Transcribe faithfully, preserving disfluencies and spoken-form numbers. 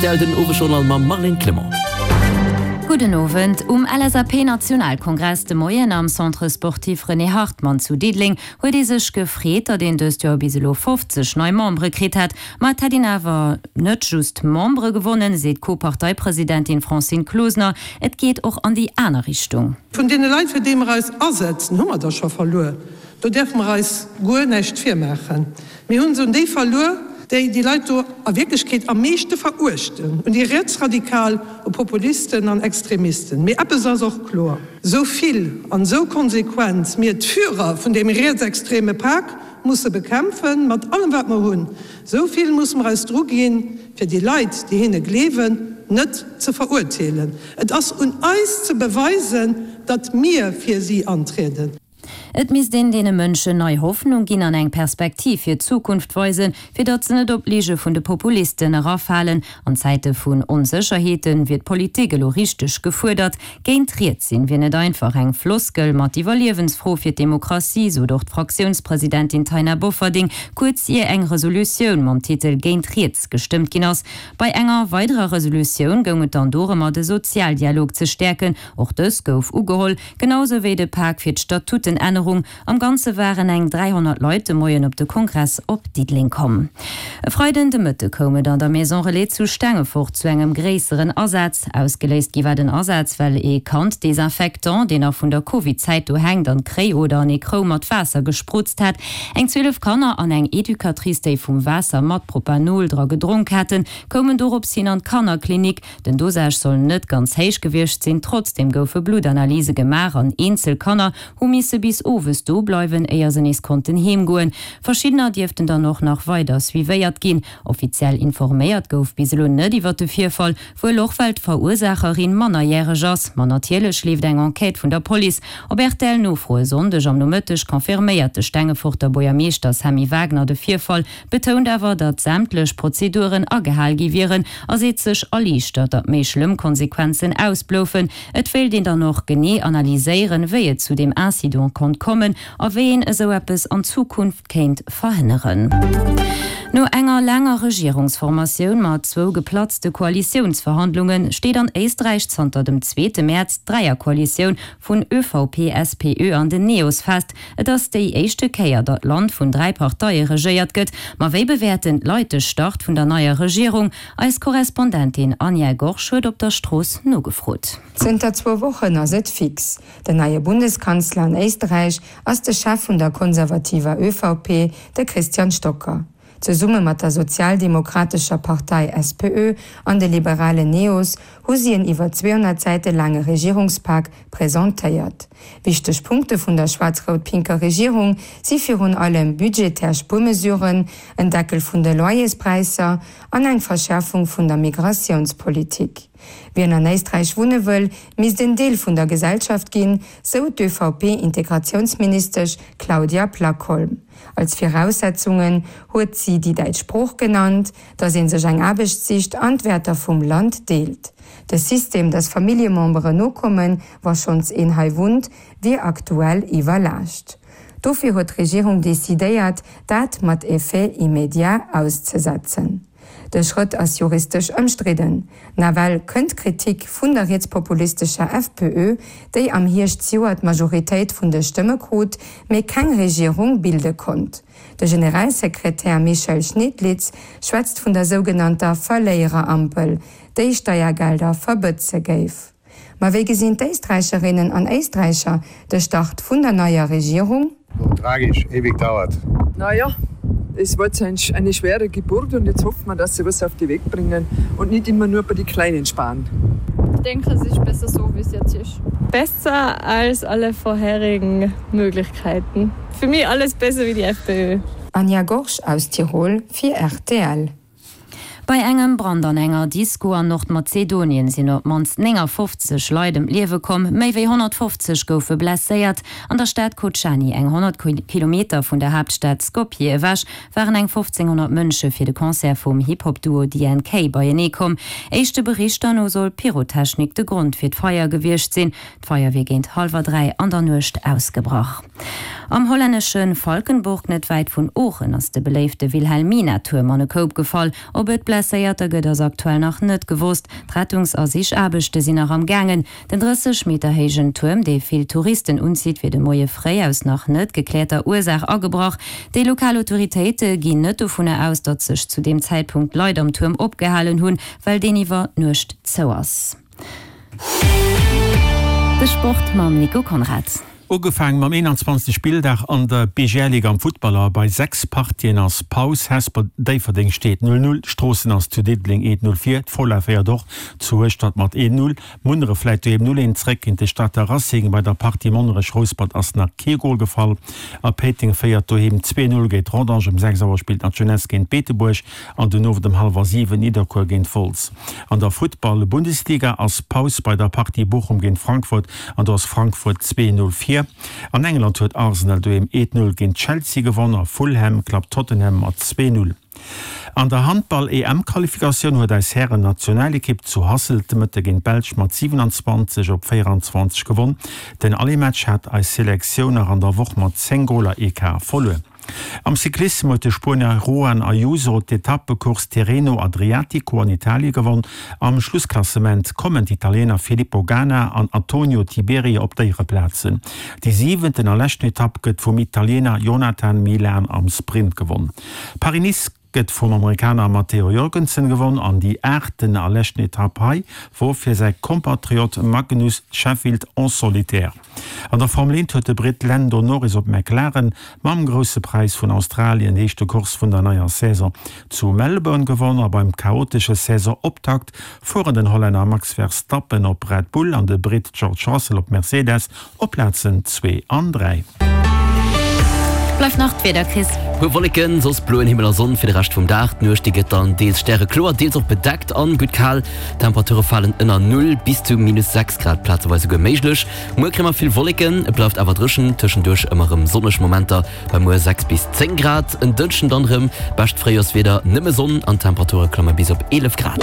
Rtl den Owesjournal mam Marlène Clement. Gudden Owend. Um LSAP-Nationalkongress de Moien am Centre Sportif René Hartmann zu Diddeleng huet ee sech gefreet, datt een dëst Joer bis elo fofzeg nei Membere kritt hätt. Ma et hätt een awer net just Membere gewonnen, seet d'Co-Parteipresidentin Francine Closener, et geet och an déi aner Richtung. Vun deene Leit, fir déi mer eis asetzen, hu mer der scho verluer. Do däerfe mer eis guer näischt virmaachen. Mir hu se un déi verluer, déi déi Leit do a Wierklechkeet am meeschte veruechten, un déi Rietsradikal, u Populisten an Extremisten. Mee eppes ass och kloer, Esou vill an esou konsequent mir d'Führer vun deem rietsextreme Pak musse bekämpfen, mat allem wat mer hunn, esou vill musse mer eis druginn, fir déi Leit, déi hinne gleewen, net ze verurteelen. Et ass un eis ze beweisen, datt mir fir si antrieden. Et misst een deene Mënschen nei Hoffnung ginn an eng Perspektiv fir d'Zukunft weisen, fir datt se net op d'Lige vun de Populisten erafalen. An Zäite vun Onsécherheete wier d'Politik elo richteg gefuerdert. Géint riets sinn wier net einfach eng Floskel, ma d'Iwwerliewensfro fir d'Demokratie, sot och d'Fraktiounspresidentin Taina Bofferding, kuerz ier eng Resolutioun mam Titel Géint riets gestëmmt ginn ass. Bei enger weiderer Resolutioun goung et dann dorëmmer, de Sozialdialog ze stäerken. Och dës gouf ugeholl, genau sou wéi de Pak fir d'Statutenännerung. Am Ganze waren eng dräihonnert Leit de Moien op de Kongress op Diddeleng komm. E Freiden de Mëtte koum et an der Maison Relais zu Stengefort zu engem gréisseren Asaz. Ausgeléist gi war den Asaz, well ee Kand Desinfectant, deen nach vun der Covid-Zäit do hänkt, an d'Kréi oder an ee Krou mat Waasser gesprutzt hat. Eng zwielef Kanner an eng Educatrice, déi vum Waasser mat Propanol dra gedronk haten, koumen dorops hin an d'Kannerklinik. Den Dosage soll net ganz héich gewiescht sinn, trotzdeem goufe Bluttanalyse gemaach an eenzel Kanner hu misse bis owes do bleiwen, éier se nees konnten heem goen. Verschiddener dierften dann och nach weider suivéiert ginn. Offiziell informéiert gouf bis elo net iwwer de Virfall, wuel och well d'Verursaacherin mannerjäreg ass. Ma natierlech leeft eng Enquête vun der Police. Op R T L-Nofro e Sonndeg am Nomëtteg confirméiert de Stengeforter Buergermeeschter Sammy Wagner de Virfall, betount awer, datt sämtlech Prozeduren agehal gi wieren a seet sech erliichtert, datt méi schlëmm Konsequenzen ausbloufen. Et wéilt een dann och genee analyséieren, wéi et zu deem Incident konnt kommen a wéi een esou eppes an Zukunft kéint verhënneren. No enger laanger Regierungsformatioun mat zwou geplatzte Koalitiounsverhandlunge steet an Éisträich zanter dem zweete Mäerz d'Dräierkoalitioun vun Ö V P, S P Ö an den Neos fest. Et ass déi éischte Kéier, datt d'Land vun dräi Parteie regéiert gëtt. Ma wéi bewäerten d'Leit de Start vun der neier Regierung? Eis Korrespondentin Anja Gorsch huet op der Strooss nogefrot. Zënter zwou Wochen ass et fix. Den neie Bundeskanzler an Éisträich ass de Chef vun der konservativer Ö V P, de Christian Stocker. Zesumme mat der sozialdemokratescher Partei S P Ö an de liberalen Neos hu si en iwwer zweehonnert Säite laange Regierungspak presentéiert. Wichteg Punkte vun der schwaarz-rout-pinker Regierung si virun allem budgetär Spuermesuren, en Deckel vun de Loyerspräisser an eng Verschäerfung vun der Migratiounspolitik. Wien an Éisträich wunne wëll, misst en Deel vun der Gesellschaft ginn, sou d'Ö V P-Integratiounsministesch Claudia Plakolm. Als Viraussetzungen huet si déi däitsch Sprooch genannt, datt ee sech eng Aarbecht sicht an d'Wäerter vum Land deelt. De System, datt Familljememberen nokommen, wa schonns een hei wunnt, wier aktuell iwwerlaascht. Dofir huet d'Regierung decidéiert, dat mat Effet immédiat auszesetzen. De Schrëtt ass juristesch ëmstridden. Nawell kënnt Kritik vun der rietspopulistescher F P Ö, déi am Hierscht zejoert d'Majoritéit vun de Stëmme krut, mee keng Regierung bilde konnt. De Generalsekretär Michael Schnedlitz schwätzt vun der sougenannter Verléiererampel, déi Steiergelder verbëtze géif. Ma wéi gesinn d'Éisträicherinnen an Éisträicher de Start vun der neier Regierung? Tragisch, ewig dauert. Naja, es war jetzt eine schwere Geburt und jetzt hoffen wir, dass sie was auf die Weg bringen und nicht immer nur bei den Kleinen sparen. Ich denke, es ist besser so, wie es jetzt ist. Besser als alle vorherigen Möglichkeiten. Für mich alles besser wie die F P Ö. Anja Gorsch aus Tirol fir R T L. Bei engem Brand an enger Disco an Nordmazedonien sinn op d'mannst néngafofzeg Leit ëm d'Liewe komm, méi wéi honnertfofzeg goufe blesséiert. An der Stad Kocani, eng honnert Kilometer vun der Haaptstad Skopje ewech, waren eng fofzénghonnert Mënsche fir de Concert vum Hip-Hop-Duo D N K beienee komm. Éischte Berichter no soll Pyrotechnik de Grond fir d'Feier gewiescht sinn. D'Feier wier géint hallwer dräi an der Nuecht ausgebrach. Am hollännesche Valkenburg, net wäit vun Oochen, ass de beléifte Wilhelmina-Tuerm an e Koup gefall. Ob et Blesséierter gëtt, ass aktuell nach net gewosst. D'Rettungs a Sichaarbechte sinn nach am gaangen. Den drësseg Meter héijen Tuerm, dee vill Touristen unzitt, wier de Moie fréi aus nach net gekläerter Ursaach agebrach. Déi lokal Autoritéite ginn net dovunner aus, datt sech zu deem Zäitpunkt Leit am Tuerm opgehalen hunn, well deen iwwer Nuecht zou ass. De Sport mam Nico Conrad. Ugefaange mam eenanzwanzegste Spilldag an der B G L Liga am Futtball a bei sechs Partien ass Paus. Hesper Déifferdeng steet null null, Stroossen ass zu Diddeleng eent null vir, d'Fola féiert och zu Hueschtert mat eent null, Munneref läit doheem null eent zréck géint de Stater Racing. Bei der Partie Monnerech Rouspert ass nach kee Gol gefall a Péiteng féiert doheem zwee null géint Rodange. Um sechs Auer spillt nach d'Jeunesse géint Beetebuerg an den Owend um hallwer siwen Nidderkuer géint Wolz. An der Futtball Bundesliga ass Paus bei der Partie Bochum géint Frankfurt an do ass Frankfurt zwee null vir. An England huet Arsenal doheem eent null géint Chelsea gewonn a Fulham klappt Tottenham mat zwee null. An der Handball-E M-Qualifikatioun huet eis Hären-Nationalekipp zu Hasselt de Mëtte géint d'Belsch mat siwenanzwanzeg op véieranzwanzeg gewonn. Den Aller-Match hat eis Selektioun nach an der Woch mat zéng Goler Ecart verluer. Am Cyclissem huet de Spuenier Juan Ayuso d'Etappecourse Tirreno Adriatico an Italie gewonn. Am Schlussklassement kommen d'Italiener Filippo Ganna an Antonio Tiberi op d'Éiereplazen. Déi siwenten a leschten Etapp gëtt vum Italiener Jonathan Milan am Sprint gewonn. Paris-Nice gëtt vum Amerikaner Matteo Jorgensen gewonn an déi aachten a leschten Etapp hei wor fir säi Kompatriot Magnus Sheffield en solitaire. An der Formel eent huet de Britt Lando Norris op McLaren mam Grousse Präis vun Australien, éischte Course vun der neier Saison, zu Melbourne gewonn a beim chaotesche Saisonoptakt fueren den Hollänner Max Verstappen op Red Bull an de Britt George Russell op Mercedes op Plazen zwee an dräi. Bleift nach d'Wieder, Chris. Puer Wolleken, soss bloen Himmel a Sonn fir de Rescht vum Dag. D'Nuecht déi gëtt dann deels stärekloer, deels och bedeckt an gutt kal. D'Temperature falen ënner Null, bis zu minus sechs Grad plazeweis esouguer méiglech. Muer kréie mer vill Wolleken, et bleift awer dréchen, tëschenduerch ëmmer erëm sonneg Momenter, bei muer sechs bis zéng Grad. En Dënschden dann erëm bescht Fréijorswieder, nëmme Sonn an d'Temperature klamme bis op eelef Grad.